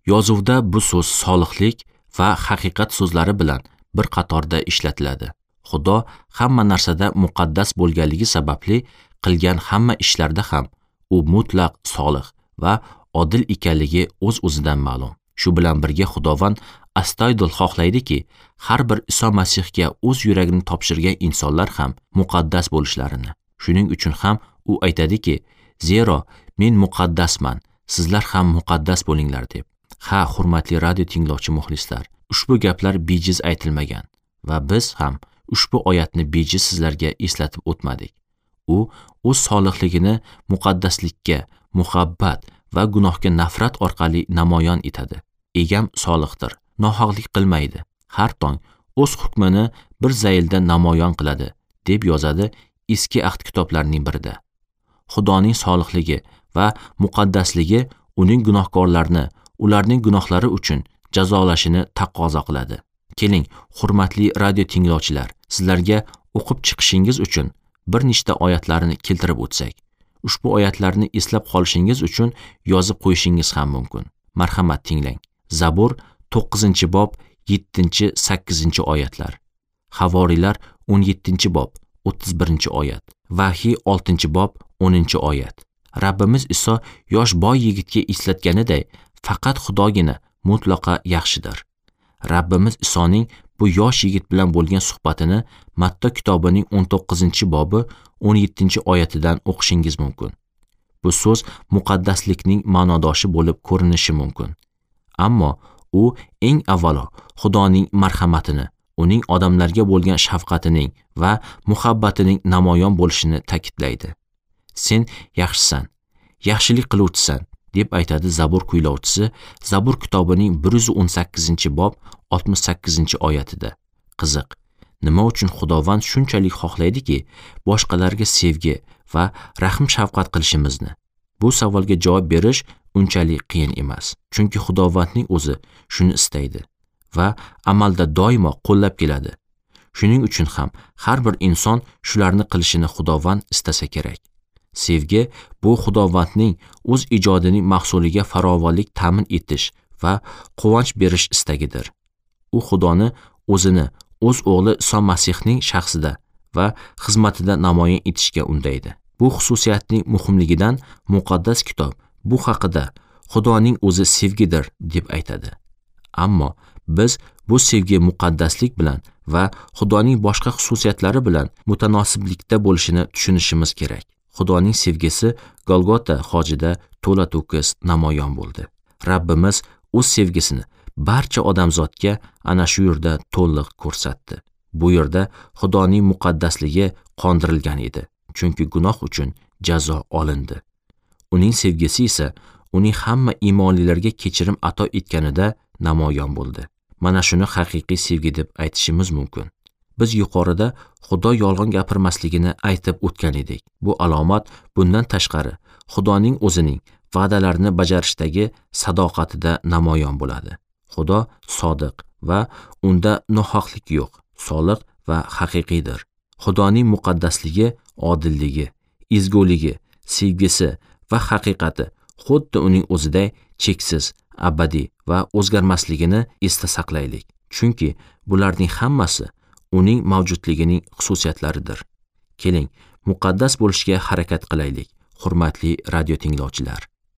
Yozuvda bu so'z solihlik va haqiqat so'zlari bilan bir qatorda ishlatiladi. Xudo hamma narsada muqaddas bo'lganligi sababli qilgan hamma ishlarda ham u mutlaq solih va odil ekanligi o'z-o'zidan ma'lum. Shu bilan birga Xudovand astoydil xohlaydiki, har bir Iso Masihga o'z yuragini topshirgan insonlar ham muqaddas bo'lishlarini. Shuning uchun ham u aytadiki, zero men muqaddasman, sizlar ham muqaddas bo'linglar deb. Ha, hurmatli radio tinglovchi muxlislar, ushbu gaplar bejiz aytilmagan va biz ham ushbu oyatni bejiz sizlarga eslatib o'tmadik. U o'z solihligini muqaddaslikka, muhabbat va gunohga nafrat orqali namoyon etadi. Egam solihdir, nohaqlik qilmaydi. Har tong o'z hukmini bir zaylda namoyon qiladi, deb yozadi Eski Ahd kitoblarining birida. Xudoning solihligi va muqaddasligi uning gunohkorlarni ularning gunohlari uchun jazolashini taqozo qiladi. Keling, hurmatli radio tinglovchilar, sizlarga o'qib chiqishingiz uchun bir nechta oyatlarni keltirib o'tsak. Ushbu oyatlarni eslab qolishingiz uchun yozib qo'yishingiz ham mumkin. Marhamat, tinglang. Zabur 9-bob 7-8 oyatlar. Havoriylar 17-bob 31-oyat. Vahiy 6-bob 10-oyat. Rabbimiz Iso yosh boy yigitga eslatganiday, faqat Xudogina mutlaqo yaxshidir. Rabbimiz Isoning bu yosh yigit bilan bo'lgan suhbatini Matta kitobining 19-bobi 17-oyatidan o'qishingiz mumkin. Bu so'z muqaddaslikning ma'nodoshi bo'lib ko'rinishi mumkin. Ammo u eng avvalo Xudoning marhamatini, uning odamlarga bo'lgan shafqatining va muhabbatining namoyon bo'lishini ta'kidlaydi. Sen yaxshisan, yaxshilik qiluvchisan, deb aytadi Zabur kuylovchisi Zabur kitobining 118-bob 68-oyatida. Qiziq, nima uchun Xudovand shunchalik xohlaydiki, boshqalarga sevgi va rahm shafqat qilishimizni? Bu savolga javob berish unchalik qiyin emas, chunki Xudovandning o'zi shuni istaydi va amalda doimo qo'llab keladi. Shuning uchun ham har bir inson shularni qilishini Xudovand istasa kerak. Sevgi bu Xudovandning o'z ijodining mahsuliga farovonlik ta'min etish va quvonch berish istagidir. U Xudoni o'zini o'z o'g'li Iso Masihning shaxsida va xizmatida namoyon etishga undaydi. Bu xususiyatning muhimligidan muqaddas kitob bu haqida Xudoning o'zi sevgidir deb aytadi. Ammo biz bu sevgi muqaddaslik bilan va Xudoning boshqa xususiyatlari bilan mutanosiblikda bo'lishini tushunishimiz kerak. Xudoning sevgisi Golgota xojida to'la to'kis namoyon bo'ldi. Rabbimiz o'z sevgisini barcha odamzodga ana shu yerda to'liq ko'rsatdi. Bu yerda Xudoning muqaddasligi qondirilgan edi, chunki gunoh uchun jazo olindi. Uning sevgisi esa uning hamma iymonlilarga kechirim ato etganida namoyon bo'ldi. Mana shuni haqiqiy sevgi deb aytishimiz mumkin. Biz yuqorida Xudo yolg'on gapirmasligini aytib o'tgan edik. Bu alomat bundan tashqari Xudoning o'zining va'dalarini bajarishdagi sadoqatida namoyon bo'ladi. Xudo sodiq va unda nohaqlik yo'q, soliq va haqiqiydir. Xudoning muqaddasligi, odilligi, ezguligi, sevgisi va haqiqati xuddi uning o'ziday cheksiz, abadiy va o'zgarmasligini esda saqlaylik. Chunki bularning hammasi uning mavjudligining xususiyatlaridir. Keling, muqaddas bo'lishga harakat qilaylik, hurmatli radio tinglovchilar.